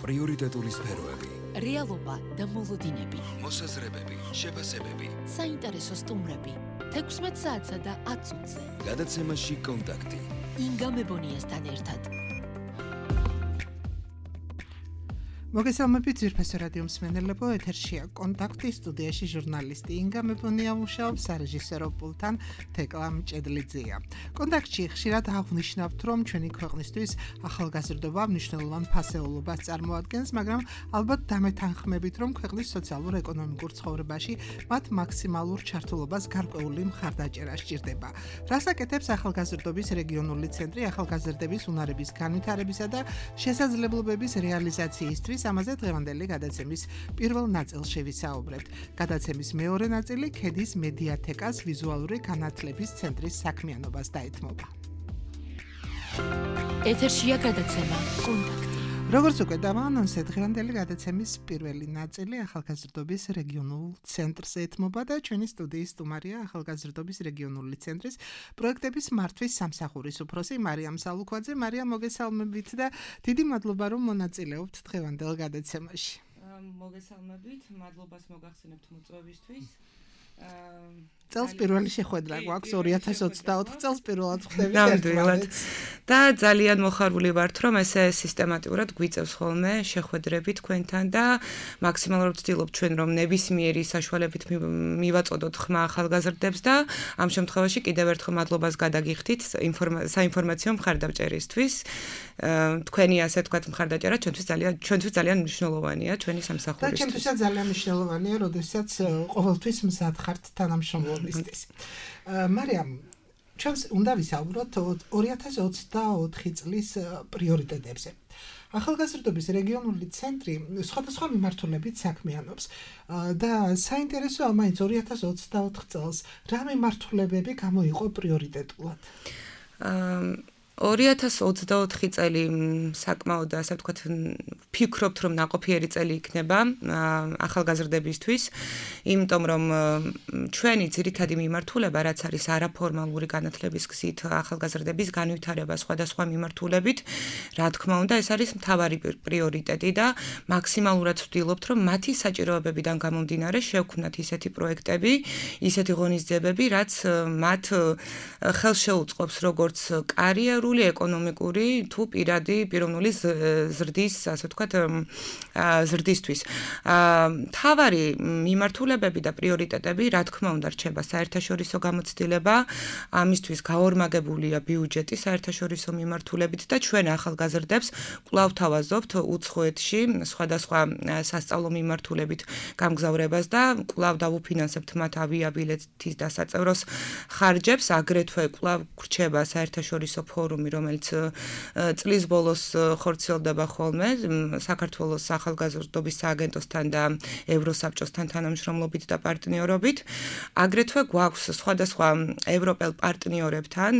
პრიორიტეტული სფეროები, რეალობა და მოლოდინები, მოსაზრებები, შეფასებები, საინტერესო სტუმრები, 16 საათსა და 10 წუთზე. გადაცემაში კონტაქტი. ინგა მებონიასთან ერთად. მოგესალმებით ძვირფასო რადიო მსმენელებო, ეთერშია კონტაქტი, სტუდიაში ჟურნალისტი ინგა მებონია მუშაობს, სარეჟისორო პულტთან თეკლა მჭედლიძეა. კონტაქტში ხშირად აღვნიშნავთ, რომ ჩვენი ქვეყნისთვის ახალგაზრდობა მნიშვნელოვან ფასეულობას წარმოადგენს, მაგრამ ალბათ დამეთანხმებით, რომ ქვეყნის სოციალურ-ეკონომიკურ ცხოვრებაში მათ მაქსიმალურ ჩართულობას გარკვეული მხარდაჭერა სჭირდება. რას აკეთებს ახალგაზრდობის რეგიონული ცენტრი ახალგაზრდების უნარების განვითარებისა და შესაძლებლობების რეალიზაციისთვის? ამაზე დღევანდელი გადაცემის პირველ ნაწილში ვისაუბრებთ. გადაცემის მეორე ნაწილი ქედის მედიათეკას ვიზუალური განათლების ცენტრის საქმიანობას დაეთმობა. ეთერშია გადაცემა კონტაქტი. როგორც უკვე დავაანონსე, დღევანდელი გადაცემის პირველი ნაწილი ახალგაზრდობის რეგიონულ ცენტრს ეთმობა და ჩვენი სტუდიის სტუმარია ახალგაზრდობის რეგიონული ცენტრის პროექტების მართვის სამსახურის უფროსი მარიამ სალუქვაძე. მარიამ, მოგესალმებით და დიდი მადლობა, რომ მონაწილეობთ დღევანდელ გადაცემაში. მოგესალმებით, მადლობას მოგახსენებთ მოწვევისთვის. წელს პირველი შეხვედრა გვაქვს 2024 წელს პირველად ხდებით ერთმანეთს და ძალიან მოხარული ვართ, რომ ესე სისტემატურად გვიწევს ხოლმე შეხვედრები თქვენთან და მაქსიმალურად ვცდილობ ჩვენ რომ ნებისმიერი საშუალებით მივაწოდოთ ხმა ახალგაზრდებს და ამ შემთხვევაში კიდევ ერთხელ მადლობას გადაგიხდით საინფორმაციო მხარდამჭერისთვის. თქვენი ასე ვთქვათ მხარდაჭერა ჩვენთვის ძალიან მნიშვნელოვანია ჩვენი სამსახურისთვის. და ჩვენთვისაც ძალიან მნიშვნელოვანია, როდესაც ყოველთვის მზად ხართ თანამშრომლობისთვის. მარიამ, ჩვენს უნდა ვისაუბროთ 2024 წლის პრიორიტეტებზე. ახალგაზრდობის რეგიონული ცენტრი სხვადასხვა მიმართულებით საქმიანობს და საინტერესოა მაინც 2024 წელს რა მიმართულებები გამოიყო პრიორიტეტულად. 2024 წელი საკმაოდ ასე ვთქვათ ვფიქრობთ რომ ნაყოფიერი წელი იქნება ახალგაზრდებისთვის, იმიტომ რომ ჩვენი ძირითადი მიმართულება რაც არის არაფორმალური განათლების გზით ახალგაზრდების განვითარება სხვადასხვა მიმართულებით, რა თქმა უნდა ეს არის მთავარი პრიორიტეტი და მაქსიმალურად ვცდილობთ რომ მათი საჭიროებებიდან გამომდინარე შევქმნათ ისეთი პროექტები, ისეთი ღონისძიებები, რაც მათ ხელს შეუწყობს როგორც კარიერული ეკონომიკური თუ პიროვნული ზრდის, ასე ვთქვათ, ზრდისთვის. მთავარი მიმართულებები და პრიორიტეტები, რა თქმა უნდა, რჩება საერთაშორისო გამოცდილება, ამისთვის გაორმაგებულია ბიუჯეტი საერთაშორისო მიმართულებით და ჩვენ ახალგაზრდებს კვლავ თავაზობთ უცხოეთში სხვადასხვა სასწავლო მიმართულებით გამგზავრებას და კვლავ დავუფინანსებთ მათ ავიაბილეთის დასაწევროს ხარჯებს, აგრეთვე კვლავ გრჩება საერთაშორისო ფორუმი, რომელიც წლის ბოლოს ხორციელდება ხოლმე საქართველოს ახალგაზრდობის სააგენტოსთან და ევროსაბჭოსთან თანამშრომლობით და პარტნიორობით. აგრეთვე გვაქვს სხვადასხვა ევროპელ პარტნიორებთან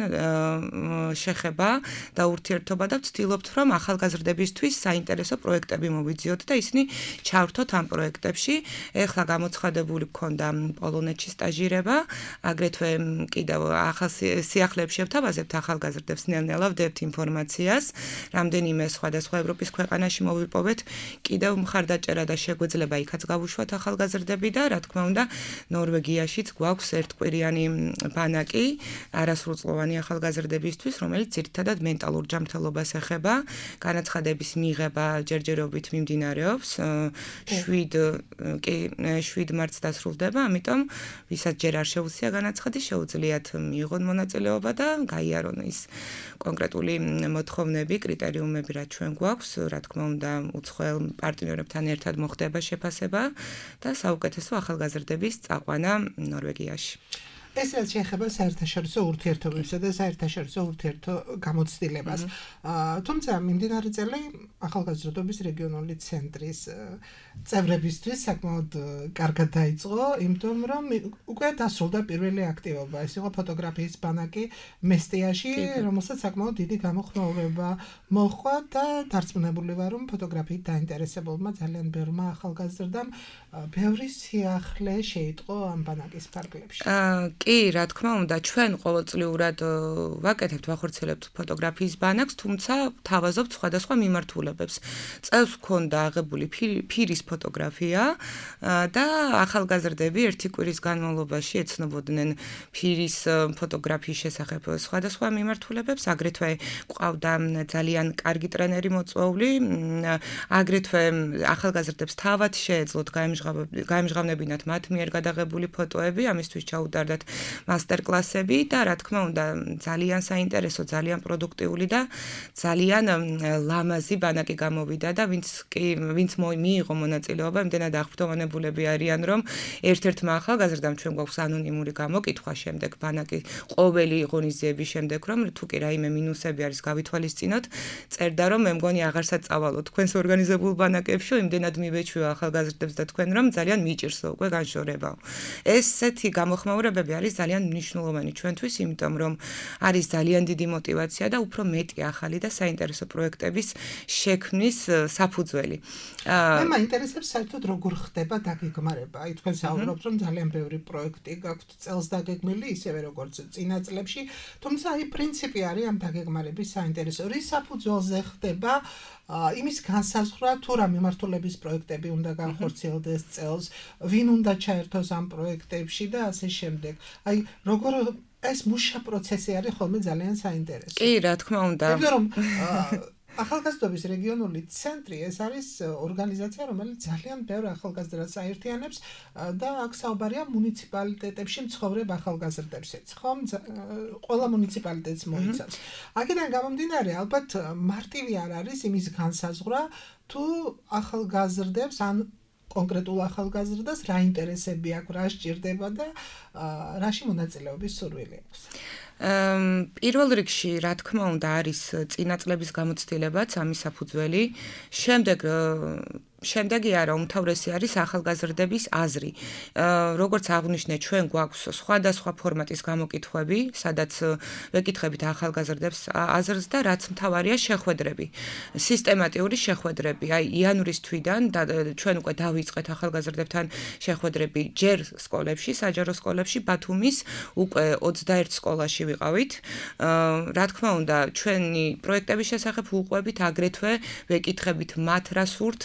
შეხება და ურთიერთობა და ვცდილობთ, რომ ახალგაზრდებისთვის საინტერესო პროექტები მოვიძიოთ და ისინი ჩავრთოთ ამ პროექტებში. ეხლა გამოცხადებული გქონდა პოლონეთში სტაჟირება, აგრეთვე კიდევ ახალ სიახლეებში შევთავაზებთ ახალგაზრდებს ნელ-ნელა ვდებთ ინფორმაციას, რამდენიმე სხვადასხვა ევროპის ქვეყანაში მოვიპოვეთ კიდევ მხარდაჭერა და შეგვეძლება იქაც გავუშვათ ახალგაზრდები და რა თქმა უნდა ნორვეგიაშიც გვაქვს ერთკვირიანი ბანაკი არასრულწლოვანი ახალგაზრდებისთვის, რომელიც ძირითადად მენტალურ ჯანმრთელობას ეხება, განაცხადების მიღება ჯერჯერობით მიმდინარეობს, 7 მარტს დასრულდება, ამიტომ ვისაც ჯერ არ შეუძლია განაცხადი, შეუძლიათ მიიღონ მონაწილეობა და გაიარონ ის კონკრეტული მოთხოვნები, კრიტერიუმები რაც ჩვენ გვაქვს, რა თქმა უნდა, უცხოელ პარტნიორებთან ერთად მოხდება შეფასება და საუკეთესო ახალგაზრდების წაყვანა ნორვეგიაში. ეს რაც შეეხება საერთაშორისო ურთიერთობებსა და საერთაშორისო ურთიერთო გამოცდილებას. თუმცა მიმდინარე წელი ახალგაზრდობის რეგიონული ცენტრის წევრებისთვის საკმაოდ კარგად დაიწყო, იმიტომ რომ უკვე დასრულდა პირველი აქტივობა. ეს იყო ფოტოგრაფიის ბანაკი მესტიაში, რომელსაც საკმაოდ დიდი გამოხმაურება მოჰყვა და დარწმუნებული ვარ, რომ ფოტოგრაფიით დაინტერესებულმა ძალიან ბევრმა ახალგაზრდამ ბევრი სიახლე შეიტყო ამ ბანაკის ფარგლებში. კი, რა თქმა უნდა, ჩვენ ყოველწლიურად ვაკეთებთ, ვახორციელებთ ფოტოგრაფიის ბანაკს, თუმცა თავაზობთ სხვადასხვა მიმართულებებს. წელს გვქონდა აღებული ფირის ფოტოგრაფია და ახალგაზრდები ერთი კვირის განმავლობაში ეცნობოდნენ ფირის ფოტოგრაფიის შესახებ სხვადასხვა მიმართულებებს, აგრეთვე გვყავდა ძალიან კარგი ტრენერი მოწვეული, აგრეთვე ახალგაზრდებს თავად შეეძლოთ გაემჟღავნებინათ მათ მიერ გადაღებული ფოტოები, ამისთვის ჩაუტარდათ მასტერკლასები და რა თქმა უნდა ძალიან საინტერესო, ძალიან პროდუქტიული და ძალიან ლამაზი ბანაკი გამოვიდა და ვინც მიიღო მონაწილეობა, იმდენად აღფრთოვანებულები არიან, რომ ერთ-ერთმა ახალგაზრდამ ჩვენ გვაქვს ანონიმური გამოკითხვა შემდეგ ბანაკი ყოველი ღონისძიების შემდეგ, რომ თუ კი რაიმე მინუსები არის გავითვალისწინოთ, წერდა რომ მე მგონი აღარ საწავალო თქვენს ორგანიზებულ ბანაკებში, იმდენად მივეჩვიო ახალგაზრდებს და თქვენ რომ ძალიან მიჭირსო უკვე განშორებაო. ესეთი გამოხმაურებები არის ძალიან მნიშვნელოვანი ჩვენთვის, იმიტომ რომ არის ძალიან დიდი мотиваცია და უფრო მეტი ახალი და საინტერესო პროექტების შექმნის საფუძველი. მე მაინტერესებს საერთოდ როგორ ხდება დაგეგმარება. აი თქვენ საუბრობთ რომ ძალიან ბევრი პროექტი გაქვთ წელს დაგეგმილი, ისევე როგორც წინა წლებში, თუმცა აი პრინციპი არის ამ დაგეგმარების საინტერესო. რის საფუძველზე ხდება იმის განსაზღვრა თუ რა მიმართულების პროექტები უნდა განხორციელდეს წელს, ვინ უნდა ჩაერთოს ამ პროექტებში და ასე შემდეგ. აი როგორ ეს მუშა პროცესი არის ხოლმე ძალიან საინტერესო. კი, რა თქმა უნდა. იმიტომ რომ ახალგაზრდობის რეგიონული ცენტრი ეს არის ორგანიზაცია, რომელიც ძალიან ბევრ ახალგაზრდას აერთიანებს და აქ საუბარია მუნიციპალიტეტებში მცხოვრებ ახალგაზრდებშიც, ხომ? ყველა მუნიციპალიტეტს მოიცავს. აქედან გამომდინარე, ალბათ მარტივი არ არის იმის განსაზღვრა, თუ ახალგაზრდებს ან კონკრეტულ ახალგაზრდას რა ინტერესები აქვს, რა სჭირდება და რაში მონაწილეობის სურვილი აქვს. პირველ რიგში, რა თქმა უნდა, არის წინა წლების გამოცდილებაც ამის საფუძველი. შემდეგი არა, უმთავრესი არის ახალგაზრდების აზრი. როგორც აღვნიშნე, ჩვენ გვაქვს სხვადასხვა ფორმატის გამოკითხვები, სადაც ვეკითხებით ახალგაზრდებს აზრს და რაც მთავარია შეხვედრები. სისტემატიური შეხვედრები. აი, იანვრის თვიდან ჩვენ უკვე დავიწყეთ ახალგაზრდებთან შეხვედრები ჯერ სკოლებში, საჯარო სკოლებში, ბათუმის უკვე 21 სკოლაში ვიყავით. რა თქმა უნდა, ჩვენი პროექტების შესახებ უყვებით, აგრეთვე ვეკითხებით მათ რა სურთ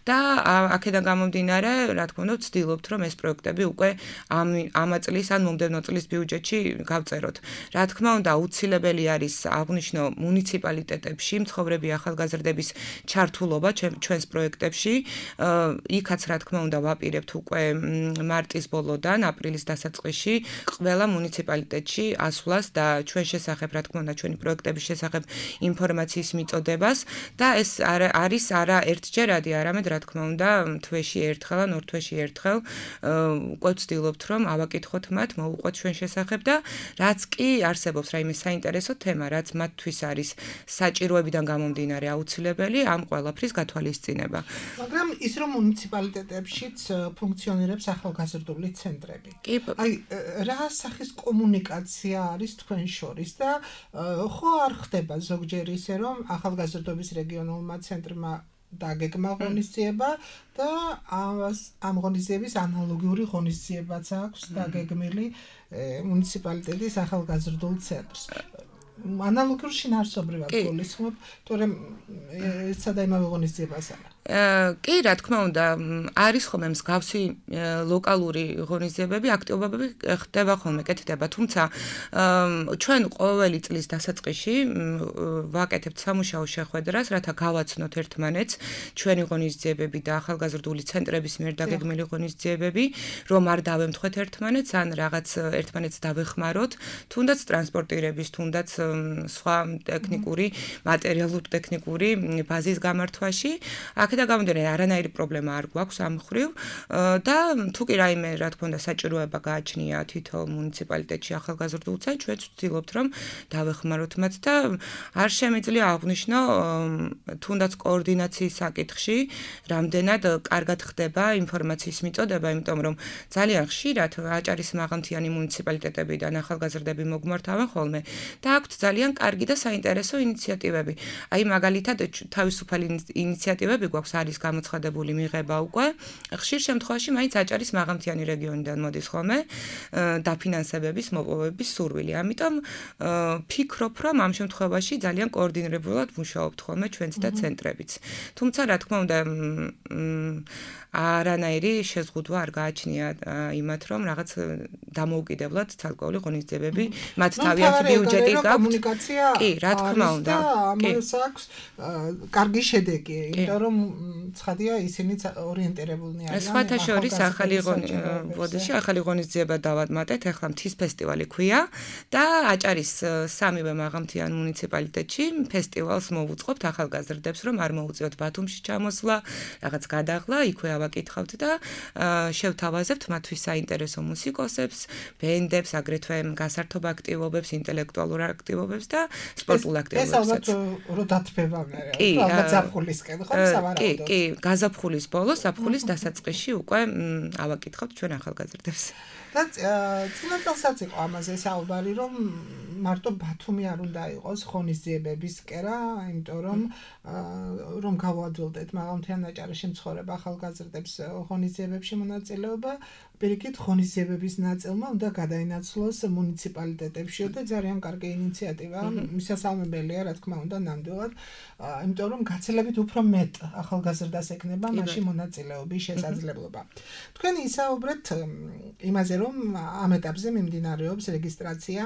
და აქედან გამომდინარე, რა თქმა უნდა, ვცდილობთ, რომ ეს პროექტები უკვე ამ წლის ან მომდევნო წლის ბიუჯეტში გავწეროთ. რა თქმა უნდა, აუცილებელი არის აღვნიშნო მუნიციპალიტეტებში მცხოვრები ახალგაზრდების ჩართულობა ჩვენს პროექტებში. იქაც რა თქმა უნდა, ვაპირებთ უკვე მარტის ბოლოდან აპრილის დასაწყისში ყველა მუნიციპალიტეტში ასვლას და ჩვენ შესახებ, რა თქმა უნდა, ჩვენი პროექტების შესახებ ინფორმაციის მიწოდებას და ეს არის არა ერთჯერადი, არამედ რა თქმა უნდა, თვეში ერთხელ ან ორ თვეში ერთხელ უკვე ვცდილობთ, რომ ავაკითხოთ მათ, მოუყვეთ ჩვენ შესახებ და რაც კი არსებობს რაიმე საინტერესო თემა, რაც მათთვის არის საჭიროებიდან გამომდინარე აუცილებელი, ამ ყველაფრის გათვალისწინება. მაგრამ ის რომ მუნიციპალიტეტებშიც ფუნქციონირებს ახალგაზრდული ცენტრები. აი, რა სახის კომუნიკაცია არის თქვენ შორის და ხო არ ხდება ზოგჯერ ისე, რომ ახალგაზრდობის რეგიონულმა ცენტრმა დაგეგმა ღონისძიება და ამ ღონისძიების ანალოგიური ღონისძიებაც აქვს დაგეგმილი მუნიციპალიტეტის ახალგაზრდულ ცენტრს. ანალოგიურ შინაარსობრივად გულისხმობ, თორემ ესა და იმავე ღონისძიებას არა. კი, რა თქმა უნდა, არის ხოლმე მსგავსი ლოკალური ღონისძიებები, აქტივობები ხდება ხოლმე, კეთდება, თუმცა ჩვენ ყოველი წლის დასაწყისში ვაკეთებთ სამუშაო შეხვედრას, რათა გავაცნოთ ერთმანეთს ჩვენი ღონისძიებები და ახალგაზრდული ცენტრების მიერ დაგეგმილი ღონისძიებები, რომ არ დავემთხვეთ ერთმანეთს, ან რაღაც ერთმანეთს დავეხმაროთ, თუნდაც ტრანსპორტირების, თუნდაც სხვა ტექნიკური, მატერიალურ-ტექნიკური ბაზის გამართვაში. აქედან გამომდინარე, არანაირი პრობლემა არ გვაქვს ამ მხრივ და თუ კი რაიმე, რა თქმა უნდა, საჭიროება გააჩნია თითო მუნიციპალიტეტში ახალგაზრდულ ცენტრს, ჩვენ ვცდილობთ, რომ დავეხმაროთ მათ და არ შემიძლია აღვნიშნო, თუნდაც კოორდინაციის საკითხში, რამდენად კარგად ხდება ინფორმაციის მიწოდება, იმიტომ რომ ძალიან ხშირად აჭარის მაღალმთიანი მუნიციპალიტეტებიდან ახალგაზრდები მოგმართავენ ხოლმე და აქვთ ძალიან კარგი და საინტერესო ინიციატივები. აი, მაგალითად, თავისუფალი ინიციატივები გვაქვს გვაქვს არის გამოცხადებული მიღება უკვე. ხშირ შემთხვევაში მაინც აჭარის მაღალმთიანი რეგიონიდან მოდის ხოლმე დაფინანსებების მოპოვების სურვილი. ამიტომ ფიქრობ, რომ ამ შემთხვევაში ძალიან კოორდინირებულად მუშაობთ ხოლმე ჩვენც და ცენტრებიც. თუმცა რა თქმა უნდა არანაირი შეზღუდვა არ გააჩნია იმათ, რომ რაღაც დამოუკიდებლად ცალკეული ღონისძიებები მათ თავიანთი ბიუჯეტი გაქვთ. კომუნიკაცია კი, რა თქმა უნდა. ამას აქვს კარგი შედეგი, იმიტომ რომ ცხადია ისინიც ორიენტირებულნი არიან. სხვათა შორის ახალი ღონისძიება დავადმატეთ, ახლა მთის ფესტივალი ქვია და აჭარის სამივე მაღალმთიან მუნიციპალიტეტში ფესტივალს მოვუწყობთ ახალგაზრდებს, რომ არ მოუწიოთ ბათუმში ჩამოსვლა, რაღაც გადაღლა, იქვე ავაკითხავთ და შევთავაზებთ მათთვის საინტერესო მუსიკოსებს, ბენდებს, აგრეთვე გასართობ აქტივობებს, ინტელექტუალურ აქტივობებს და სპორტულ აქტივობებსაც. ეს ალბათ რო დათბება მე, ალბათ ზაფხულისკენ ხო სავარაუდოდ. კი, გაზაფხულის ბოლოს, ზაფხულის დასაწყისში უკვე ავაკითხავთ ჩვენ ახალგაზრდებს. და წინა წელსაც იყო ამაზე საუბარი, რომ მარტო ბათუმი არ უნდა იყოს ღონისძიებების კერა, იმიტომ რომ გავაძველდეთ მაღალმთიან აჭარაში მცხოვრებ ახალგაზრდებს ღონისძიებებში მონაწილეობა, პირიქით ღონისძიებების ნაწილმა უნდა გადაინაცვლოს მუნიციპალიტეტებში და ძალიან კარგი ინიციატივა, მისასალმებელია, რა თქმა უნდა, ნამდვილად, იმიტომ რომ გაცილებით უფრო მეტ ახალგაზრდას ექნება მასში მონაწილეობის შესაძლებლობა. თქვენ ისაუბრეთ იმაზე, რომ ამ ეტაპზე მიმდინარეობს რეგისტრაცია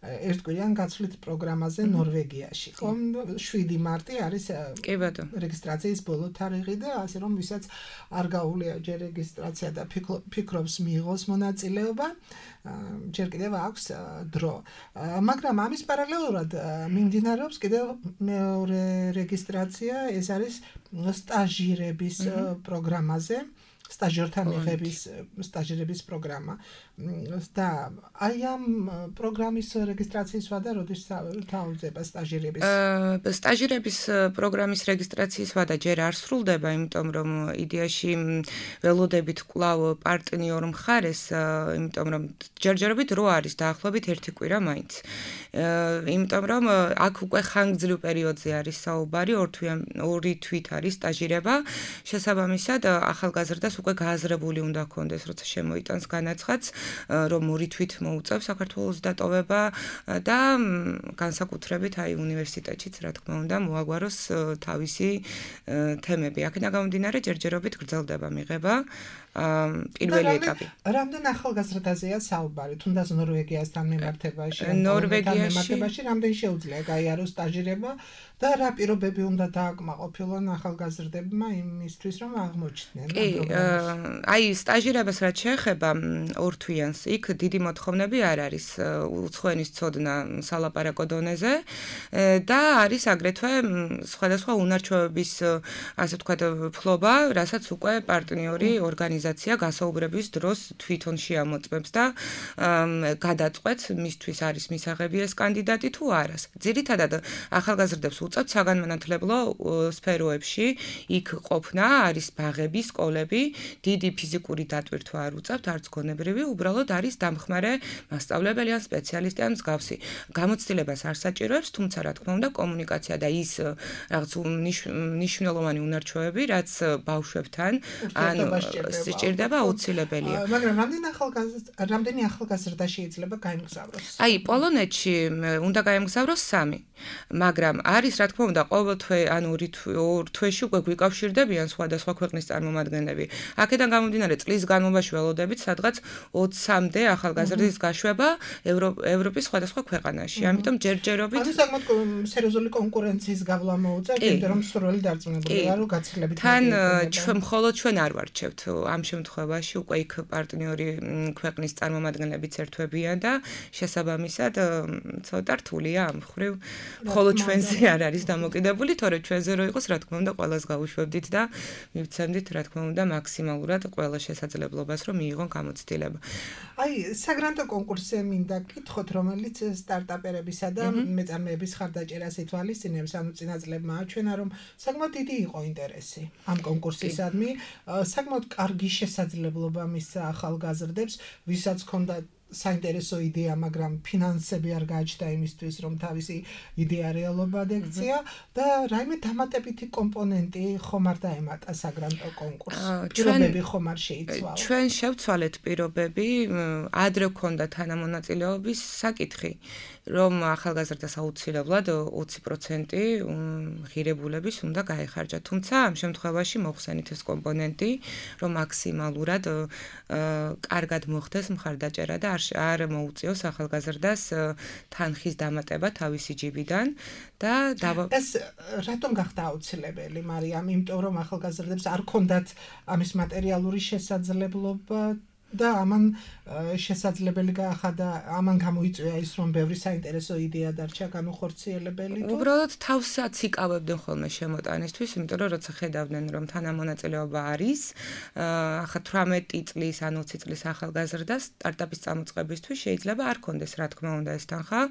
ერთკვირიან გაცვლის პროგრამაზე ნორვეგიაში. ხო, 7 მარტი არის რეგისტრაციის ბოლო თარიღი და ასე რომ ვისაც არ გაუვლია ჯერ რეგისტრაცია და ფიქრობს მიიღოს მონაწილეობა, ჯერ კიდევ აქვს დრო. მაგრამ ამის პარალელურად მიმდინარეობს კიდევ მეორე რეგისტრაცია, ეს არის სტაჟირების პროგრამაზე. სტაჟერთა მიღების სტაჟირების პროგრამა და აი ამ პროგრამის რეგისტრაციის ვადა როდის თავდება სტაჟირების პროგრამის რეგისტრაციის ვადა ჯერ არ სრულდება, იმიტომ რომ იდეაში ველოდებით კვლავ პარტნიორ მხარეს, იმიტომ რომ ჯერჯერობით რო არის დაახლოებით 1 კვირა მაინც. იმიტომ რომ აქ უკვე ხანგრძლივ პერიოდზე არის საუბარი, 2 თვით არის სტაჟირება, შესაბამისად ახალგაზრდას უკვე გააზრებული უნდა ქონდეს, როცა შემოიტანს განაცხადს, რომ 2 თვით მოუწევს საქართველოს დატოვება და განსაკუთრებით აი უნივერსიტეტშიც, რა თქმა უნდა, მოაგვაროს თავისი თემები. აქედან გამომდინარე, ჯერჯერობით გრძელდება მიღება პირველი ეტაპი. რამდენ ახალგაზრდაზეა საუბარი, თუნდაც ნორვეგიასთან მიმართებაში, ნორვეგიაში რამდენ შეუძლია გაიაროს სტაჟირება და რა პირობები უნდა დააკმაყოფილონ ახალგაზრდებმა იმისთვის, რომ აღმოჩნდნენ ამ პროგრამაში. აი, სტაჟირებას რაც შეეხება 2 თვიანს, იქ დიდი მოთხოვნები არ არის უცხოენის ცოდნა სალაპარაკო დონეზე და არის აგრეთვე სხვადასხვა უნარჩვევების, ასე ვთქვათ, ფლობა, რასაც უკვე პარტნიორი ორგანიზაცია გასაუბრების დროს თვითონ შეამოწმებს და გადაწყვეტს მისთვის არის მისაღები ეს კანდიდატი თუ არას. ძირითადად ახალგაზრდებს უწევთ საგანმანათლებლო სფეროებში, იქ ყოფნა, არის ბაღები, სკოლები, დიდი ფიზიკური დატვირთვა არ უწევთ, არც გონებრივი, უბრალოდ არის დამხმარე მასწავლებელი ან სპეციალისტი ან მსგავსი. გამოცდილებას არ საჭიროებს, თუმცა რა თქმა უნდა, კომუნიკაცია და ის რაღაც მნიშვნელოვანი უნარჩვევები, რაც ბავშვებთან ან სჭირდება აუცილებელია. მაგრამ რამდენი ახალგაზრდა შეიძლება გაემგზავროს? აი, პოლონეთში უნდა გაემგზავროს 3, მაგრამ არის რა თქმა უნდა ყოველ თვე ან 2 თვეში უკვე გვიკავშირდებიან სხვადასხვა ქვეყნის წარმომადგენლები. აქედან გამომდინარე წლის განმავლობაში ველოდებით სადღაც 20-მდე ახალგაზრდის გაშვება ევროპის სხვადასხვა ქვეყანაში. ამიტომ ჯერჯერობით ანუ საკმაოდ სერიოზული კონკურენციის გავლა მოუწევთ, იმიტომ რომ სრული დარწმუნებულია, რომ გაცილებით თან მხოლოდ ჩვენ არ ვარჩევთ ამ შემთხვევაში უკვე იქ პარტნიორი ქვეყნის წარმომადგენლებიც ერთვებიან და შესაბამისად ცოტა რთულია ამ მხრივ მხოლოდ ჩვენზე არ არის დამოკიდებული, თორე ჩვენზე რო იყოს, რა თქმა უნდა, ყველას გავუშვებდით და მივცემდით, რა თქმა უნდა, მაქსიმალურად ყველა შესაძლებლობას, რომ მიიღონ გამოცდილება. აი, საგრანტო კონკურსზე მინდა გითხოთ, რომელიც სტარტაპერებისა და მეწარმეების ხარდაჭერას ითვალისწინებს, ანუ წინა წლებმა აჩვენა, რომ საკმაოდ დიდი იყო ინტერესი ამ კონკურსისადმი, საკმაოდ კარგი შესაძლებლობა მისცა ახალგაზრდებს, ვისაც ჰქონდა საინტერესო იდეა, მაგრამ ფინანსები არ გააჩნდა იმისთვის, რომ თავისი იდეა რეალობად ექცია და რაიმე დამატებითი კომპონენტი ხომ არ დაემატა საგრანტო კონკურსს. პირობები ხომ არ შეიცვალა. ჩვენ შევცვალეთ პირობები, ადრე გქონდა თანამონაწილეობის საკითხი, რომ ახალგაზრდას აუცილებლად 20% ღირებულების უნდა გაეხარჯა. თუმცა ამ შემთხვევაში მოხსენით ეს კომპონენტი, რომ მაქსიმალურად კარგად მოხდეს მხარდაჭერა და არ მოუწიოს ახალგაზრდას თანხის დამატება თავისი ჯიბიდან და ეს რატომ გახდა აუცილებელი, მარიამ? იმიტომ რომ ახალგაზრდებს არ ქონდათ ამის მატერიალური შესაძლებლობა და ამან შესაძლებელი გაახადა, ამან გამოიწვია ის, რომ ბევრი საინტერესო იდეა დარჩა განუხორციელებელი. უბრალოდ თავსაც იკავებდნენ ხოლმე შემოტანისთვის, იმიტომ რომ როცა ხედავდნენ, რომ თანამონაწილეობა არის, ახლა 18 წლის ან 20 წლის ახალგაზრდას სტარტაპის წამოწყებისთვის შეიძლება არ კონდეს, რა თქმა უნდა, ეს თანხა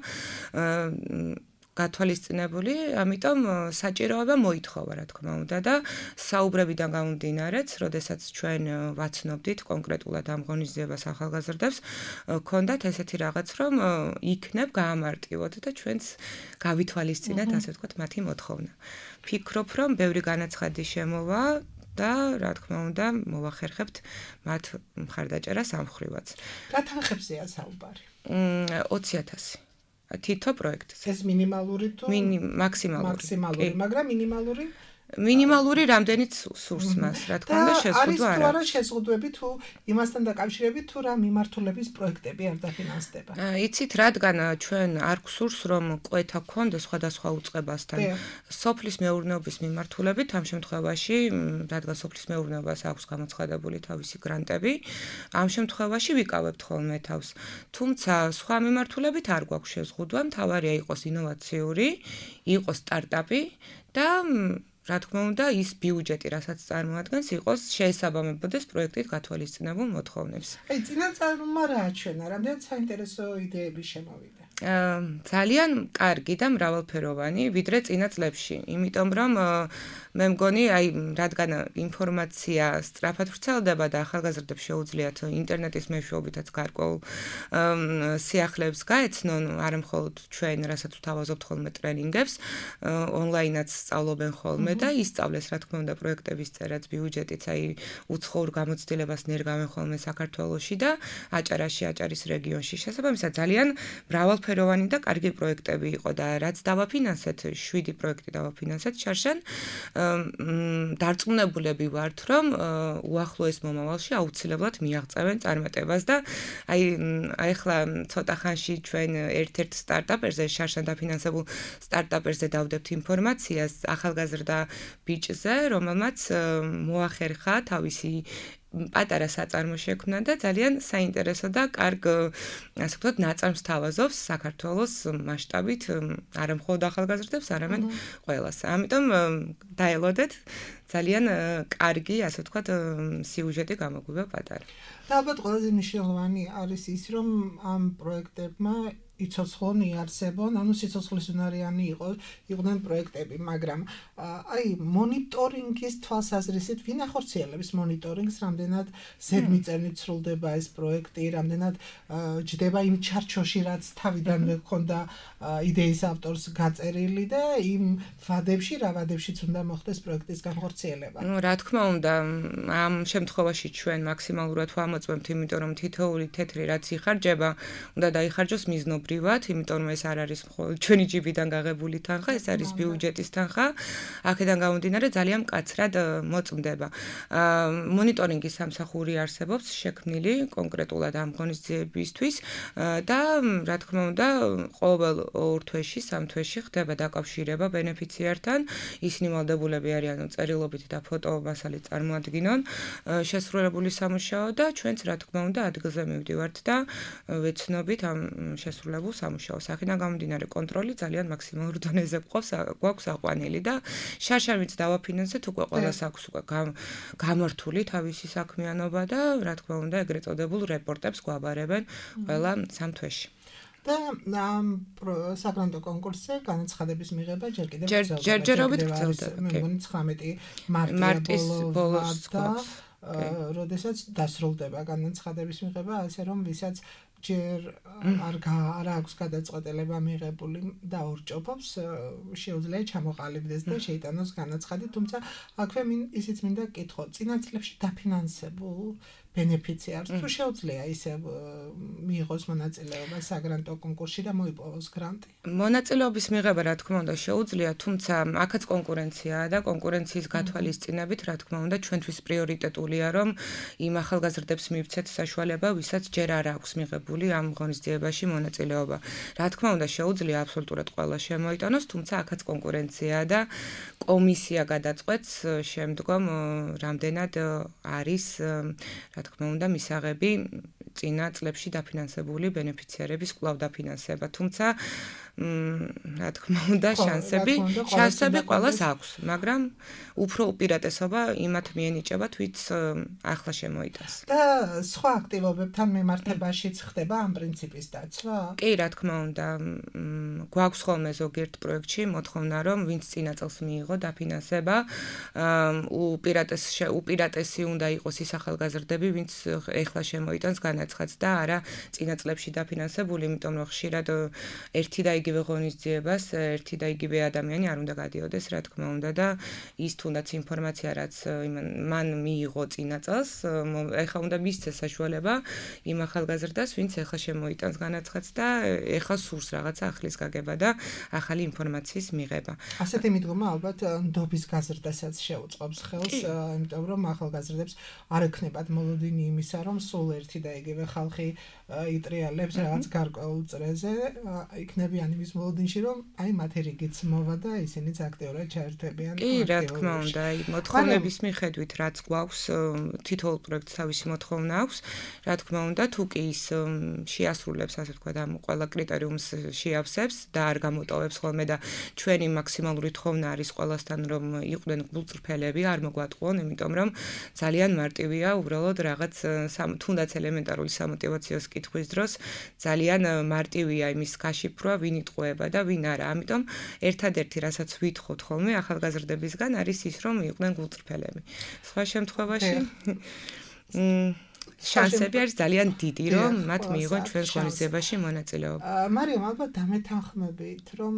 გათვალისწინებული, ამიტომ საჭიროება მოითხოვა, რა თქმა უნდა და საუბრებიდან გამომდინარეც, როდესაც ჩვენ ვაცნობდით კონკრეტულად ამ ღონისძიებას ახალგაზრდებს, ქონდათ ესეთი რაღაც, რომ იქნებ გაამარტივოთ და ჩვენც გავითვალისწინეთ, ასე ვთქვათ, მათი მოთხოვნა. ვფიქრობ, რომ ბევრი განაცხადი შემოვა და რა თქმა უნდა, მოვახერხებთ მათ მხარდაჭერას ამ მხრივაც. რა თანხებზეა საუბარი? 20,000 თითო პროექტზე. ეს მინიმალური თუ მაქსიმალური, მაგრამ მინიმალური რამდენიც სურს მას, რა თქმა უნდა, შეზღუდვა არ არის. შეზღუდვები თუ იმასთან დაკავშირებით თუ რა მიმართულების პროექტები არ დაფინანსდება. იცით, რადგან ჩვენ არ გვსურს, რომ კვეთა გქონდეს სხვადასხვა უწყებასთან. სოფლის მეურნეობის მიმართულებით ამ შემთხვევაში, რადგან სოფლის მეურნეობას აქვს გამოცხადებული თავისი გრანტები, ამ შემთხვევაში ვიკავებთ ხოლმე თავს. თუმცა სხვა მიმართულებით არ გვაქვს შეზღუდვა, მთავარია იყოს ინოვაციური, იყოს სტარტაპი და რა თქმა უნდა, ის ბიუჯეტი, რასაც წარმოადგენს, იყოს შეესაბამებოდეს პროექტით გათვალისწინებულ მოთხოვნებს. წინაწარმომა რა აჩვენა, რამდენად საინტერესო იდეები შემოვიდა? ძალიან კარგი და მრავალფეროვანი, ვიდრე წინა წლებში, იმიტომ რომ მე მგონი, რადგან ინფორმაცია სწრაფად ვრცელდება და ახალგაზრდებს შეუძლიათ ინტერნეტის მეშვეობითაც გარკვეულ სიახლეებს გაეცნონ, არა მხოლოდ ჩვენ, რასაც ვთავაზობთ ხოლმე ტრენინგებს, ონლაინაც სწავლობენ ხოლმე და ისწავლეს, რა თქმა უნდა, პროექტების წერაც, ბიუჯეტიც, უცხოურ გამოცდილებას ნერგავენ ხოლმე საქართველოში და აჭარაში, აჭარის რეგიონში. შესაბამისად, ძალიან მრავალფეროვანი და კარგი პროექტები იყო და რაც დავაფინანსეთ, 7 პროექტი დავაფინანსეთ შარშან, დარწმუნებულები ვართ, რომ უახლოეს მომავალში აუცილებლად მიაღწევენ წარმატებას და ახლა ცოტა ხანში ჩვენ ერთ-ერთ სტარტაპერზე, შარშან დაფინანსებულ სტარტაპერზე დავდებთ ინფორმაციას ახალგაზრდა ბიჭზე, რომელმაც მოახერხა თავისი პატარა საწარმო შექმნა და ძალიან საინტერესო და კარგ, ასე ვთქვათ, ნაწარმს თავაზობს საქართველოს მასშტაბით, არა მხოლოდ ახალგაზრდებს, არამედ ყველას. ამიტომ დაელოდეთ, ძალიან კარგი, ასე ვთქვათ, სიუჟეტი გამოგვივა პატარა. და ალბათ ყველაზე მნიშვნელოვანი არის ის, რომ ამ პროექტებმა იცოცხლონ იარსებონ, ანუ სიცოცხლისუნარიანი იყვნენ პროექტები, მაგრამ მონიტორინგის თვალსაზრისით ვინ ახორციელებს მონიტორინგს, რამდენად ზედმიწევნით სრულდება ეს პროექტი, რამდენად ჯდება იმ ჩარჩოში, რაც თავიდანვე ჰქონდა იდეის ავტორს გაწერილი და იმ ვადებში, რა ვადებშიც უნდა მოხდეს პროექტის განხორციელება. რა თქმა უნდა, ამ შემთხვევაში ჩვენ მაქსიმალურად ვამოწმებთ, იმიტომ რომ თითოეული თეთრი რაც იხარჯება, უნდა დაიხარჯოს მიზნობრივად, იმიტომ რომ ეს არ არის მხოლოდ ჩვენი ჯიბიდან გაღებული თანხა, ეს არის ბიუჯეტის თანხა. აქედან გამომდინარე ძალიან მკაცრად მოწმდება. მონიტორინგის სამსახური არსებობს შექმნილი კონკრეტულად ამ ღონისძიებისთვის და რა თქმა უნდა, ყოველ 2 თვეში, 3 თვეში ხდება დაკავშირება ბენეფიციართან. ისინი ვალდებულები არიან წერილობით და ფოტომასალით წარმოადგინონ შესრულებული სამუშაო და ჩვენც რა თქმა უნდა ადგილზე მივდივართ და ვეცნობით ამ შესრულებულ სამუშაოს. აქედან გამომდინარე კონტროლი ძალიან მაქსიმალურ დონეზე გვაქვს აყვანილი და შარშანვით დავაფინანსეთ უკვე ყველას აქვს უკვე გამართული თავისი საქმიანობა და რა თქმა უნდა ეგრეთ წოდებულ რეპორტებს გვაბარებენ ყველა 3 თვეში. და ამ საგრანტო კონკურსზე განაცხადების მიღება ჯერ კიდევ ჯერჯერობით გრძელდება. მე მგონი 19 მარტის ბოლოს და როდესაც დასრულდება განაცხადების მიღება, ასე რომ ვისაც ჯერ არ აქვს გადაწყვეტილება მიღებული და ორჭოფობს შეუძლია ჩამოყალიბდეს და შეიტანოს განაცხადი, თუმცა აქვე ისიც მინდა კითხო, წინა წლებში დაფინანსებულ ბენეფიციარს თუ შეუძლია ისე მიიღოს მონაწილეობა საგრანტო კონკურსში და მოიპოვოს გრანტი? მონაწილეობის მიღება რა თქმა უნდა შეუძლია, თუმცა აქაც კონკურენციაა და კონკურენციის გათვალისწინებით რა თქმა უნდა ჩვენთვის პრიორიტეტულია რომ იმ ახალგაზრდებს მივცეთ საშუალება, ვისაც ჯერ არ აქვს მიღებული ამ ღონისძიებაში მონაწილეობა. რა თქმა უნდა შეუძლია აბსოლუტურად ყველა შემოიტანოს, თუმცა აქაც კონკურენციაა და კომისია გადაწყვეტს შემდგომ რამდენად არის რა თქმა უნდა მისაღები წინა წლებში დაფინანსებული ბენეფიციარების კვლავ დაფინანსება, თუმცა რა თქმა უნდა შანსები ყველას აქვს, მაგრამ უფრო უპირატესობა იმათ მიენიჭებათ, ვიც ახლა შემოიტანს. და სხვა აქტივობებთან მიმართებაშიც ხდება ამ პრინციპის დაცვა? კი, რა თქმა უნდა, გვაქვს ხოლმე ზოგიერთ პროექტში მოთხოვნა, რომ ვინც წინა წელს მიიღო დაფინანსება, უპირატესი უნდა იყოს ის ახალგაზრდები, ვინც ეხლა შემოიტანს განაცხადს და არა წინა წლებში დაფინანსებული, იმიტომ რომ ხშირად ერთი და იგივე ღონისძიებას ერთი და იგივე ადამიანი არ უნდა გადიოდეს, რა თქმა უნდა და ის თუნდაც ინფორმაცია რაც მან მიიღო წინა წელს, ეხლა უნდა მისცეს საშუალება იმ ახალგაზრდას, ვინც ეხლა შემოიტანს განაცხადს და ეხლა სურს რაღაცა ახლის გაგება და ახალი ინფორმაციის მიღება. ასეთი მიდგომა ალბათ ნდობის გაზრდასაც შეუწყობს ხელს, იმიტომ რომ ახალგაზრდებს არ ექნებათ მოლოდინი იმისა, რომ სულ ერთი და იგივე ხალხი იტრიალებს რაღაც გარკვეულ წრეზე, იქნებიან იმის მოლოდინში, რომ აი მათი რიგიც მოვა და ისინიც აქტიურად ჩაერთვებიან. კი, რა თქმა უნდა, აი მოთხოვნების მიხედვით რაც გვაქვს, თითოეულ პროექტს თავისი მოთხოვნა აქვს, რა თქმა უნდა, თუ კი ის შეასრულებს, ასე ვთქვათ, ამ ყველა კრიტერიუმს შეავსებს და არ გამოტოვებს ხოლმე და ჩვენი მაქსიმალური თხოვნა არის ყველასთან, რომ იყვნენ გულწრფელები, არ მოგვატყუონ, იმიტომ რომ ძალიან მარტივია უბრალოდ რაღაც თუნდაც ელემენტარული სამოტივაციო კითხვის დროს ძალიან მარტივია იმის გაშიფრვა, ვინ იტყუება და ვინ არა. ამიტომ ერთადერთი რასაც ვითხოვთ ხოლმე ახალგაზრდებისგან არის ის, რომ იყვნენ გულწრფელები. სხვა შემთხვევაში შანსები არის ძალიან დიდი, რომ მათ მიიღონ ჩვენს ღონისძიებაში მონაწილეობა. მარიამ, ალბათ დამეთანხმებით, რომ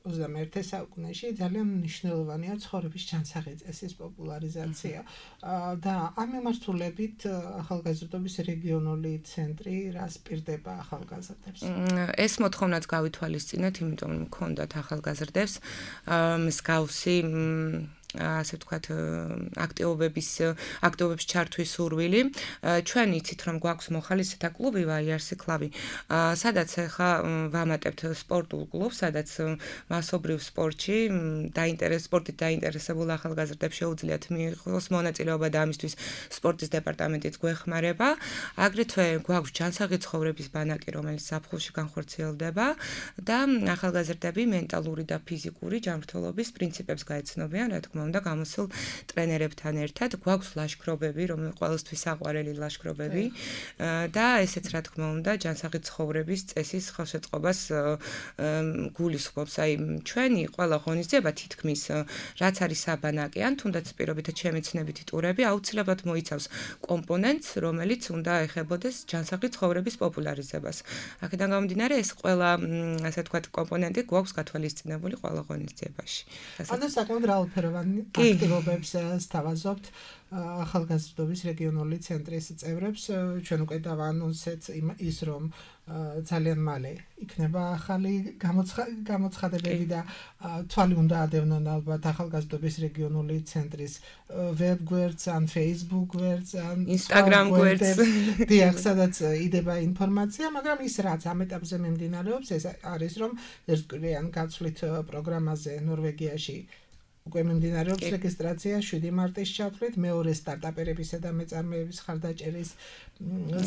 21 საუკუნეში ძალიან მნიშვნელოვანია ცხოვრების ჯანსაღი წესის პოპულარიზაცია და ამ მიმართულებით ახალგაზრდობის რეგიონული ცენტრი რას პირდება ახალგაზრდებს? ეს მოთხოვნაც გავითვალისწინეთ, იმიტომ რომ მქონდათ ახალგაზრდებს მსგავსი ასე ვთქვათ, აქტივობების ჩართვის სურვილი. ჩვენ იცით, რომ გვაქვს მოხალისეთა კლუბი ვაიარსი კლუბი, სადაც ახლა ვამატებთ სპორტულ კლუბს, სადაც მასობრივ სპორტში სპორტით დაინტერესებულ ახალგაზრდებს შეუძლიათ მიიღოს მონაწილეობა და ამისთვის სპორტის დეპარტამენტიც გვეხმარება. აგრეთვე გვაქვს ჯანსაღი ცხოვრების ბანაკი, რომელიც ზაფხულში განხორციელდება და ახალგაზრდები მენტალური და ფიზიკური ჯანმრთელობის პრინციპებს გაეცნობიან, რა თქმა უნდა, გამოსულ ტრენერებთან ერთად. გვაქვს ლაშქრობები, რომელიც ყველასთვის საყვარელი ლაშქრობები და ესეც რა თქმა უნდა, ჯანსაღი ცხოვრების წესის ხელშეწყობას გულისხმობს. აი, ჩვენი ყველა ღონისძიება თითქმის რაც არის საბანაკი, ან თუნდაც პირობითად შემეცნებითი ტურები აუცილებლად მოიცავს კომპონენტს, რომელიც უნდა ეხებოდეს ჯანსაღი ცხოვრების პოპულარიზებას. აქედან გამომდინარე, ეს ყველა, ასე ვთქვათ, კომპონენტი გვაქვს გათვალისწინებული ყველა ღონისძიებაში. ანუ საკმაოდ რაოდენოვანი აქტივობებს სთავაზობთ ახალგაზრდობის რეგიონული ცენტრის წევრებს. ჩვენ უკვე დავაანონსეთ ის, რომ ძალიან მალე იქნება ახალი გამოცხადებები და თვალი უნდა ადევნონ ალბათ ახალგაზრდობის რეგიონული ცენტრის ვებ გვერდს, ან Facebook გვერდს, ან Instagram გვერდს. დიახ, სადაც იდება ინფორმაცია, მაგრამ ის რაც ამ ეტაპზე მიმდინარეობს, ეს არის, რომ ერთკვირიან გაცვლით პროგრამაზე ნორვეგიაში უკვე მიმდინარეობს რეგისტრაცია 7 მარტის ჩათვლით, მეორე სტარტაპერებისა და მეწარმეების ხარდაჭერის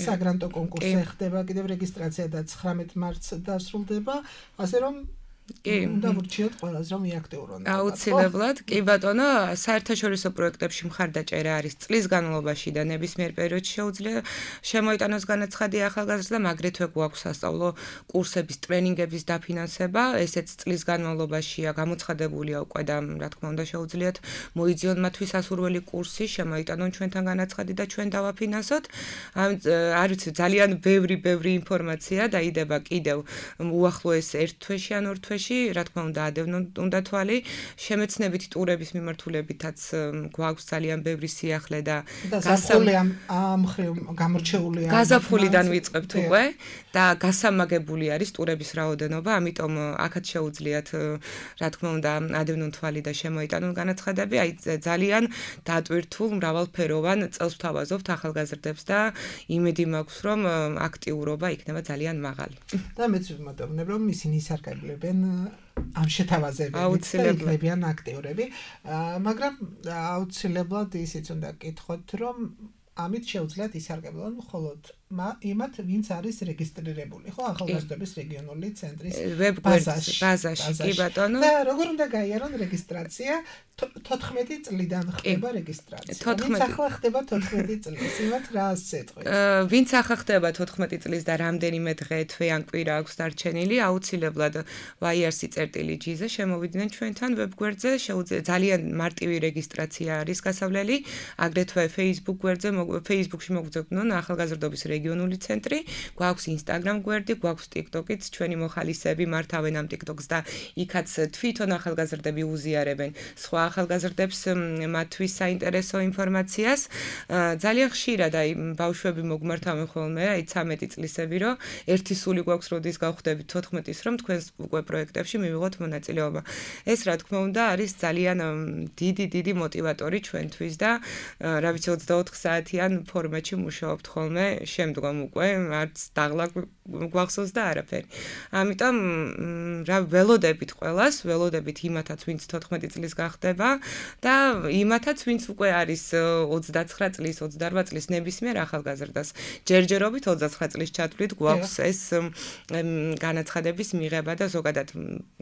საგრანტო კონკურსი ხდება, კიდევ რეგისტრაცია და 19 მარტს დასრულდება, ასე რომ უნდა ვურჩიოთ ყველას რომ იაქტიურონ. აუცილებლად, კი ბატონო, საერთაშორისო პროექტებში მხარდაჭერა არის წლის განმავლობაში და ნებისმიერ პერიოდში შეუძლია შემოიტანოს განაცხადი ახალგაზრდა, აგრეთვე გვაქვს სასწავლო კურსების, ტრენინგების დაფინანსება, ესეც წლის განმავლობაშია გამოცხადებულია უკვე და რა თქმა უნდა შეუძლიათ მოიძიონ მათთვის ასურველი კურსი, შემოიტანონ ჩვენთან განაცხადი და ჩვენ დავაფინანსოთ. არ ვიცი, ძალიან ბევრი ინფორმაცია დაიდება კიდევ უახლოეს ერთ თვეში ან ორ თვეში, რა თქმა უნდა, ადევნონ უნდა თვალი, შემეცნებითი ტურების მიმართულებითაც გვაქვს ძალიან ბევრი სიახლე და გამორჩეულია. გაზაფხულიდან ვიწყებთ უკვე და გასამაგებული არის ტურების რაოდენობა, ამიტომ აქაც შეუძლიათ, რა თქმა უნდა, ადევნონ თვალი და შემოიტანონ განაცხადები, აი ძალიან დატვირთულ მრავალფეროვან წელს ვთავაზობთ ახალგაზრდებს და იმედი მაქვს, რომ აქტიურობა იქნება ძალიან მაღალი. და მეც ვიმატებნებ, რომ ისინი ისარგებლებენ ამ შეთავაზებებით და იქნებიან აქტიურები, მაგრამ აუცილებლად ისიც უნდა გკითხოთ, რომ ამით შეუძლიათ ისარგებლონ მხოლოდ იმათ, ვინც არის რეგისტრირებული, ხო, ახალგაზრდობის რეგიონული ცენტრის ბაზაში, კი ბატონო. და როგორ უნდა გაიარონ რეგისტრაცია? 14 წლიდან ხდება რეგისტრაცია. ვინც ახლა ხდება 14 წლის, იმათ რა ასეთყვით? ვინც ახლა ხდება 14 წლის და რამდენიმე დღე, თვე ან კვირა აქვს დარჩენილი, აუცილებლად YRC.GZ-ზე შემოვიდნენ ჩვენთან ვებგვერდზე, ძალიან მარტივი რეგისტრაცია არის გასავლელი, აგრეთვე Facebook გვერდზე, Facebook-ში მოგძებნონ ახალგაზრდობის რეგიონული ცენტრი, გვაქვს Instagram გვერდი, გვაქვს TikTok-იც, ჩვენი მოხალისეები მართავენ ამ TikTok-ს და იქაც თვითონ ახალგაზრდები უზიარებენ სხვა ახალგაზრდებს მათთვის საინტერესო ინფორმაციას. ძალიან ხშირად აი ბავშვები მოგმართავენ ხოლმე, აი 13 წლისები, რომ ერთი სული გვაქვს, როდის გავხდებით 14-ის, რომ თქვენს უკვე პროექტებში მივიღოთ მონაწილეობა. ეს რა თქმა უნდა არის ძალიან დიდი მოტივატორი ჩვენთვის და რა ვიცი 24 საათიან ფორმატში მუშაობთ ხოლმე, შემდგომ უკვე არც დაღლა გვახსოვს და არაფერი. ამიტომ რა ველოდებით ყველას, ველოდებით იმათაც, ვინც 14 წლის გახდება და იმათაც, ვინც უკვე არის 29 წლის, 28 წლის ნებისმიერ ახალგაზრდას. ჯერჯერობით 29 წლის ჩათვლით გვაქვს ეს განაცხადების მიღება და ზოგადად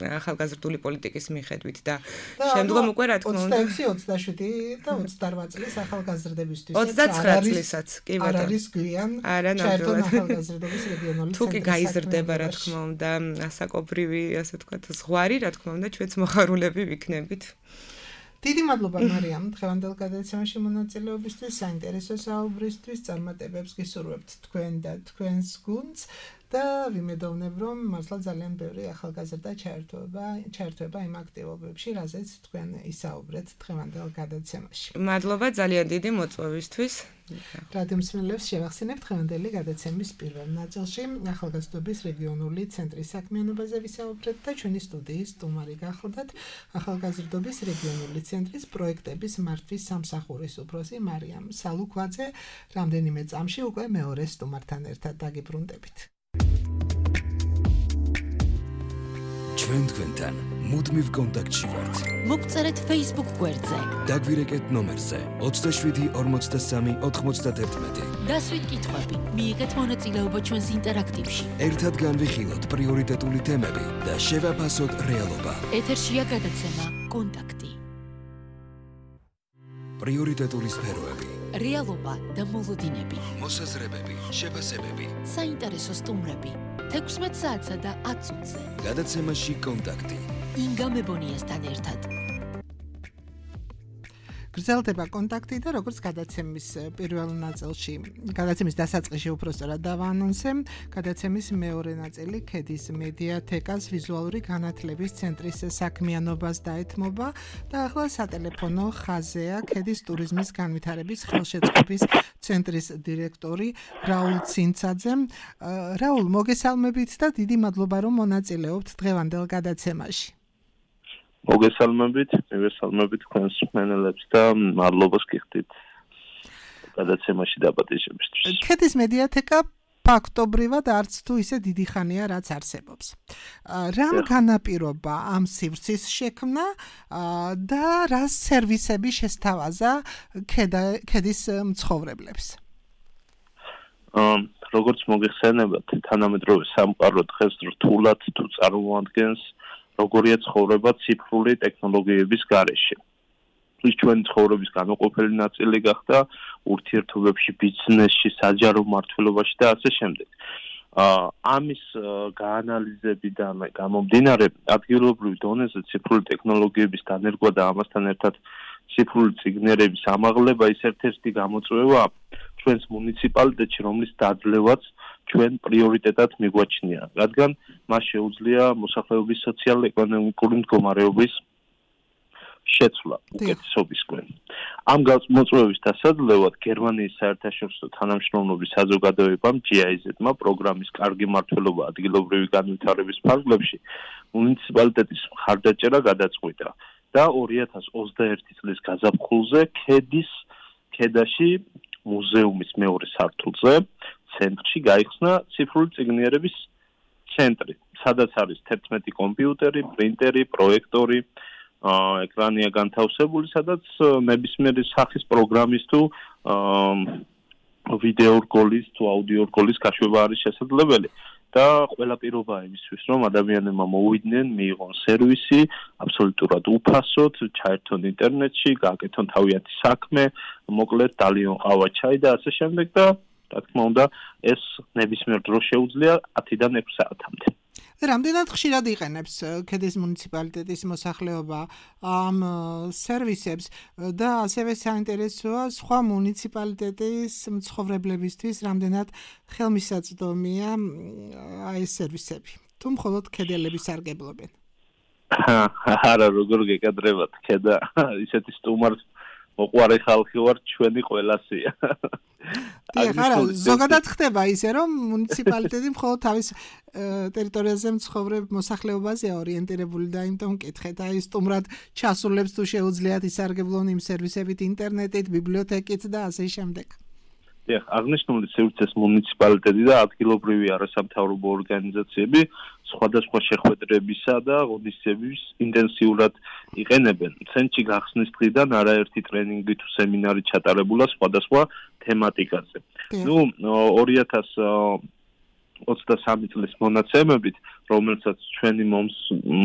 ახალგაზრდული პოლიტიკის მიხედვით და შემდგომ უკვე რა თქმა უნდა 26, 27 და 28 წლის ახალგაზრდებისთვის 29 წლისაც, კი ბატონო. არ არის გვიან ჩაერთონ ახალგაზრდობის რეგიონული ცენტრი. თუ კი გაიზრდება, რა თქმა უნდა, ასაკობრივი, ასე ვთქვათ, ზღვარი, რა თქმა უნდა, ჩვენც მოხარულები ვიქნებით. დიდი მადლობა მარიამ, დღევანდელ გადაცემაში მონაწილეობისთვის, საინტერესო საუბრისთვის, წარმატებებს გისურვებთ თქვენ და თქვენს გუნდს და ვიმედოვნებ, რომ მართლა ძალიან ბევრი ახალგაზრდა ჩაერთვება იმ აქტივობებში, რაზეც თქვენ ისაუბრეთ დღევანდელ გადაცემაში. მადლობა ძალიან დიდი მოწვევისთვის. რადიო მსმენელებს შევახსენებთ დღევანდელი გადაცემის პირველ ნაწილში ახალგაზრდობის რეგიონული ცენტრის საქმიანობაზე ვისაუბრეთ და ჩვენი სტუდიის სტუმარი გახლდათ ახალგაზრდობის რეგიონული ცენტრის პროექტების მართვის სამსახურის უფროსი მარიამ სალუქვაძე. რამდენიმე წამში უკვე მეორე სტუმართან ერთად დაგიბრუნდებით. ჩვენ თქვენთან მუდმივ კონტაქტში ვართ. მოგწერეთ Facebook გვერდზე. დაგვირეკეთ ნომერზე 27 43 91. დასვით კითხვები, მიიღეთ მონაწილეობა ჩვენს ინტერაქტივში. ერთად განვიხილოთ პრიორიტეტული თემები და შევაფასოთ რეალობა. ეთერშია გადაცემა კონტაქტი. პრიორიტეტული სფეროები. რეალობა და მოლოდინები. მოსაზრებები, შეფასებები. საინტერესო სტუმრები. 16 საათსა და 10 წუთზე. გადაცემაში კონტაქტი. ინგა მებონიასთან ერთად. გრძელდება კონტაქტი და როგორც გადაცემის პირველ ნაწილში, გადაცემის დასაწყისში უпростоრად დავაანონსე, გადაცემის მეორე ნაწილი ქედის მედიათეკას ვიზუალური განათლების ცენტრის საქმიანობას დაეთმობა და ახლა სატელეფონო ხაზეა ქედის ტურიზმის განვითარების ხელშეწყობის ცენტრის დირექტორი რაულ ცინცაძე. რაულ, მოგესალმებით და დიდი მადლობა რომ მონაწილეობთ დღევანდელ გადაცემაში. მოგესალმებით თქვენს მსმენელებს და მადლობას გიხდით გადაცემაში დაპატიჟებისთვის. ქედის მედიათეკა ფაქტობრივად არც თუ ისე დიდი ხანია რაც არსებობს. რამ განაპირობა ამ სივრცის შექმნა და რა სერვისები შესთავაზა ქედის მცხოვრებლებს? როგორც მოგეხსენებათ, თანამედროვე სამყარო დღეს რთულად თუ წარმოადგენს როგორია ცხოვრება ციფრული ტექნოლოგიების გარეშე. ის ჩვენი ცხოვრების განუყოფელი ნაწილი გახდა ურთიერთობებში, ბიზნესში, საჯარო მმართველობაში და ასე შემდეგ. ამის გაანალიზებიდან გამომდინარე ადგილობრივ დონეზე ციფრული ტექნოლოგიების დანერგვა და ამასთან ერთად ციფრული წიგნერების ამაღლება ის ერთ-ერთი გამოწვევა ჩვენს მუნიციპალიტეტში, რომლის დაძლევაც ჩვენ პრიორიტეტად მიგვაჩნია, რადგან მას შეუძლია მოსახლეობის სოციალურ-ეკონომიკური მდგომარეობის შეცვლა უკეთესობისკენ. ამ მოწვევის დასაძლევად გერმანიის საერთაშორისო თანამშრომლობის საზოგადოებამ GIZ-მა პროგრამის კარგი მმართველობა ადგილობრივი განვითარების ფარგლებში მუნიციპალიტეტის მხარდაჭერა გადაწყვიტა და 2021 წლის გაზაფხულზე ქედაში მუზეუმის მეორე სართულზე ცენტრში გაიხსნა ციფრული წიგნიერების ცენტრი, სადაც არის 11 კომპიუტერი, პრინტერი, პროექტორი, ეკრანია განთავსებული, სადაც ნებისმიერი სახის პროგრამის თუ ვიდეო რგოლის თუ აუდიო რგოლის გაშვება არის შესაძლებელი და ყველა პირობა იმისთვის, რომ ადამიანებმა მოვიდნენ, მიიღონ სერვისი, აბსოლუტურად უფასოდ, ჩაერთონ ინტერნეტში, გააკეთონ თავიანთი საქმე, მოკლედ დალიონ ყავა, ჩაი და ასე შემდეგ და რა თქმა უნდა, ეს ნებისმიერ დროს შეუძლია 10-დან 6 საათამდე. რამდენად ხშირად იყენებს ქედის მუნიციპალიტეტის მოსახლეობა ამ სერვისებს და ასევე საინტერესოა სხვა მუნიციპალიტეტის მცხოვრებლებისთვის რამდენად ხელმისაწვდომია ეს სერვისები თუ მხოლოდ ქედელები სარგებლობენ? არა, როგორ გეკადრებათ ქედა ისეთი სტუმარს მოყვარე ხალხი ვარ ჩვენი ყველასია. არა, ზოგადად ხდება ისე, რომ მუნიციპალიტეტი მხოლოდ თავის ტერიტორიაზე მცხოვრებ მოსახლეობაზე ორიენტირებული და იმიტომ მკითხეთ, აი სტუმრად ჩასულებს თუ შეუძლიათ ისარგებლონ იმ სერვისებით ინტერნეტით, ბიბლიოთეკით და ასე შემდეგ. დიახ, აღნიშნული სივრცეს მუნიციპალიტეტი და ადგილობრივი არასამთავრობო ორგანიზაციები სხვადასხვა შეხვედრებისა და ღონისძიებების ინტენსიურად იყენებენ. ცენტრში გახსნის დღიდან არაერთი ტრენინგი თუ სემინარი ჩატარებულა სხვადასხვა თემატიკაზე. 2023 წლის მონაცემებით, რომელსაც ჩვენი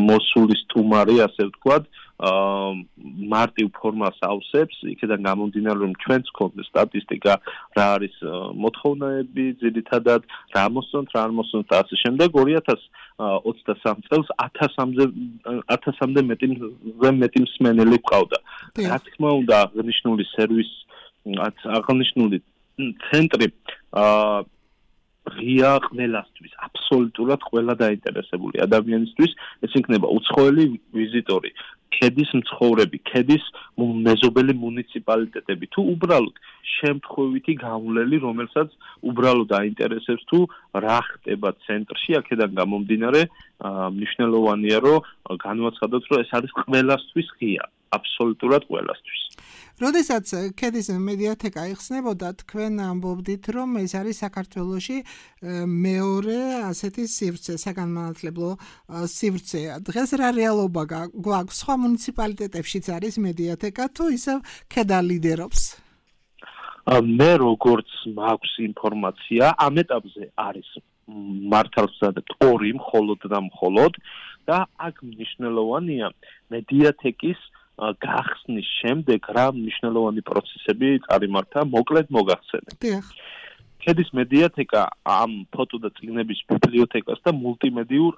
მოსული სტუმარი, ასე ვთქვათ, მარტივ ფორმას ავსებს, იქიდან გამომდინარე, რომ ჩვენს გვქონდა სტატისტიკა, რა არის მოთხოვნები, ძირითადად რა მოსწონთ, რა არ მოსწონთ და ასე შემდეგ. 2023 წელს 1000-მდე მეტი მსმენელი გვყავდა. რა თქმა უნდა, აღნიშნული სერვისი, აღნიშნული ცენტრი ღია ყველასთვის, აბსოლუტურად ყველა დაინტერესებული ადამიანისთვის, ეს იქნება უცხოელი ვიზიტორი, ქედის მცხოვრები, ქედის მეზობელი მუნიციპალიტეტები, თუ უბრალოდ შემთხვევითი გამვლელი, რომელსაც უბრალოდ აინტერესებს თუ რა ხდება ცენტრში, აქედან გამომდინარე, მნიშვნელოვანია, რომ განვაცხადოთ, რომ ეს არის ყველასთვის ღია, აბსოლუტურად ყველასთვის. როდესაც ქედის მედიათეკა იხსნებოდა, თქვენ ამბობდით, რომ ეს არის საქართველოში მეორე ასეთი სივრცე, საგანმანათლებლო სივრცე. დღეს რა რეალობა გვაქვს? სხვა მუნიციპალიტეტებშიც არის მედიათეკა თუ ისევ ქედა ლიდერობს? მე როგორც მაქვს ინფორმაცია, ამ ეტაპზე არის მართალს ვზადებ 2 მხოლოდ და მხოლოდ და აქ მნიშვნელოვანია მედიათეკის გახსნის შემდეგ რა მნიშვნელოვანი პროცესები წარიმართა, მოკლედ მოგახსენებ. ქედის მედიათეკა ამ ფოტო და წიგნების ბიბლიოთეკას და მულტიმედიურ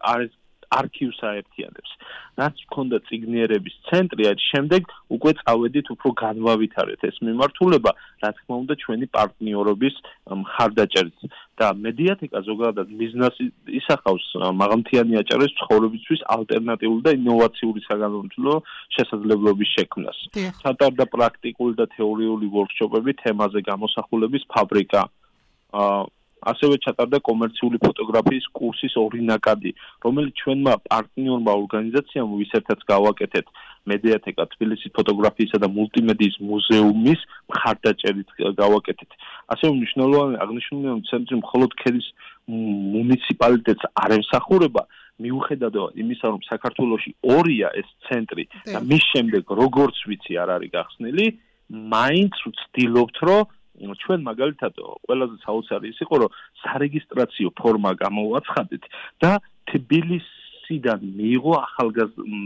არქივს აერთიანებს. რაც მქონდა წიგნიერების ცენტრი, აი შემდეგ უკვე წავედით უფრო განვავითარეთ ეს მიმართულება, რა თქმა უნდა ჩვენი პარტნიორობის მხარდაჭერით. და მედიათეკა ზოგადად მიზნას ისახავს მაღალმთიანი აჭარის ცხოვრებისთვის ალტერნატიული და ინოვაციური საგანმანათლებლო შესაძლებლობის შექმნას. ჩატარდა პრაქტიკული და თეორიული ვორქშოპები თემაზე გამოსახულების ფაბრიკა. ასევე ჩატარდა კომერციული ფოტოგრაფიის კურსის 2 ნაკადი, რომელიც ჩვენმა პარტნიორმა ორგანიზაციამ ვისერთაც გავაკეთეთ მედიათეკა თბილისის ფოტოგრაფიისა და მულტიმედიის მუზეუმის მხარდაჭერით გავაკეთეთ. ასევე აღნიშნული ცენტრი მხოლოდ ქედის მუნიციპალიტეტს არ ემსახურება, მიუხედავად იმისა, რომ საქართველოში 2-ია ეს ცენტრი და მის შემდეგ როგორც ვიცი არ არის გახსნილი, მაინც ვცდილობთ, რომ ჩვენ მაგალითად ყველაზე საოცარი ის იყო, რომ სარეგისტრაციო ფორმა გამოვაცხადეთ და თბილისის კურსიდან მიიღო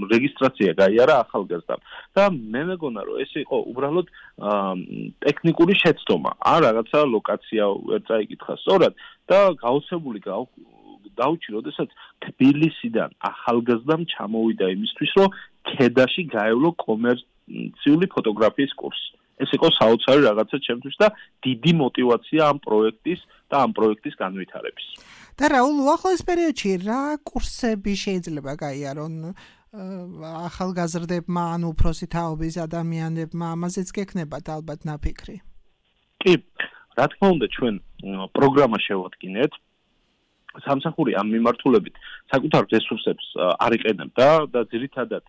რეგისტრაცია გაიარა ახალგაზრდამ და მე მეგონა რომ ეს იყო უბრალოდ ტექნიკური შეცდომა ან რაღაცა ლოკაცია ვერ წაიკითხა სწორად და გაოცებული დაუჩი როდესაც თბილისიდან ახალგაზრდამ ჩამოვიდა იმისთვის რომ ქედაში გაევლო კომერციული ფოტოგრაფიის კურსი ეს იყო საოცარი რაღაცა ჩემთვის და დიდი мотиваცია ამ პროექტის და ამ პროექტის განვითარების და რაულ უახლოეს პერიოდში რა კურსები შეიძლება გაიარონ ახალგაზრდებმა ან უფროსი თაობის ადამიანებმა ამაზეც გექნებათ ალბათ ნაფიქრი კი რა თქმა უნდა ჩვენ პროგრამა შევადგინეთ სამსახური ამ მიმართულებით საკუთარ რესურსებს არ იყენებდა და ძირითადად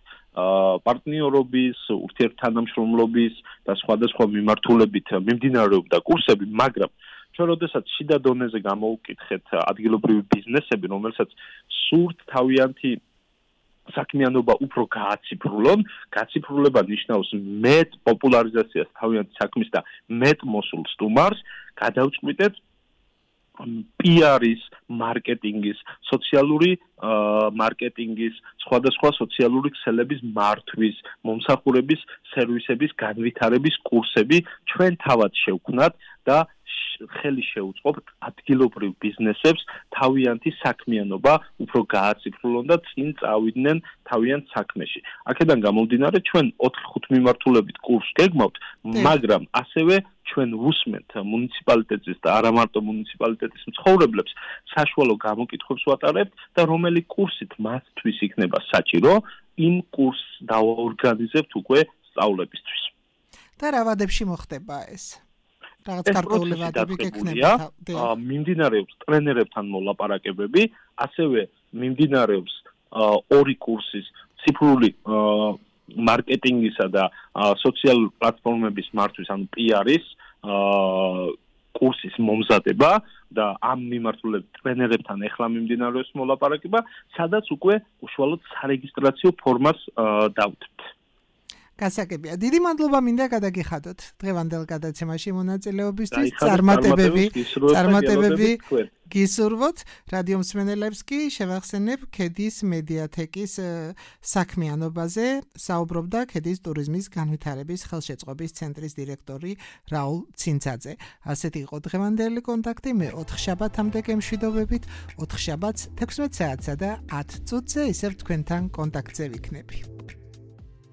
პარტნიორობის, ურთიერთთანამშრომლობის და სხვადასხვა მიმართულებით მიმდინარეობდა კურსები, მაგრამ ჩვენ როდესაც შიდა დონეზე გამოვუკითხეთ ადგილობრივი ბიზნესები, რომელსაც სურთ თავიანთი საქმიანობა უფრო გააციფრულონ, გაციფრულება ნიშნავს მეტ პოპულარიზაციას თავიანთი საქმის და მეტ მოსულ სტუმარს, გადავწყვიტეთ PR-ის, მარკეტინგის, სოციალური მარკეტინგის, სხვადასხვა სოციალური ქსელების მართვის, მომსახურების სერვისების განვითარების კურსები ჩვენ თავად შევქმნათ და ხელი შეუწყობთ ადგილობრივ ბიზნესებს თავიანთი საქმიანობა უფრო გააციფრულონ და წინ წავიდნენ თავიანთ საქმეში. აქედან გამომდინარე ჩვენ 4-5 მიმართულებით კურსს გეგმავთ, მაგრამ ასევე ჩვენ ვუსმენთ მუნიციპალიტეტის და არა მარტო მუნიციპალიტეტის მცხოვრებლებს საშუალო გამოკითხვებს ვატარებთ და რომელი კურსით მათთვის იქნება საჭირო, იმ კურსს დავაორგანიზებთ უკვე სწავლებისთვის. და რა ვადებში მოხდება ეს? რაღაც გარკვეული ვადები გექნება? მიმდინარეობს ტრენერებთან მოლაპარაკებები, ასევე მიმდინარეობს ორი კურსის ციფრული მარკეტინგისა და სოციალურ პლატფორმების მართვის, ანუ PR-ის კურსის მომზადება და ამ მიმართულებით ტრენერებთან ეხლა მიმდინარეობს მოლაპარაკება, სადაც უკვე უშუალოდ სარეგისტრაციო ფორმას დავდებთ. გასაგებია. დიდი მადლობა მინდა გადაგიხადოთ დღევანდელ გადაცემაში მონაწილეობისთვის. წარმატებები გისურვოთ. რადიო მსმენელებს კი შევახსენებ ქედის მედიათეკის საქმიანობაზე. საუბრობდა ქედის ტურიზმის განვითარების ხელშეწყობის ცენტრის დირექტორი რაულ ცინცაძე. ასეთი იყო დღევანდელი კონტაქტი. მე 4 შაბათამდე გემშვიდობებით. 4 შაბათს 16 საათსა და 10 წუთზე ისევ თქვენთან კონტაქტზე ვიქნები.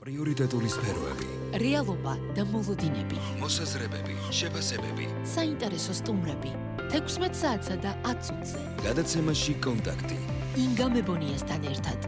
პრიორიტეტული სფეროები, რეალობა და მოლოდინები, მოსაზრებები, შეფასებები, საინტერესო სტუმრები, 16 საათსა და 10 წუთზე. გადაცემაში კონტაქტი. ინგა მებონიასთან ერთად.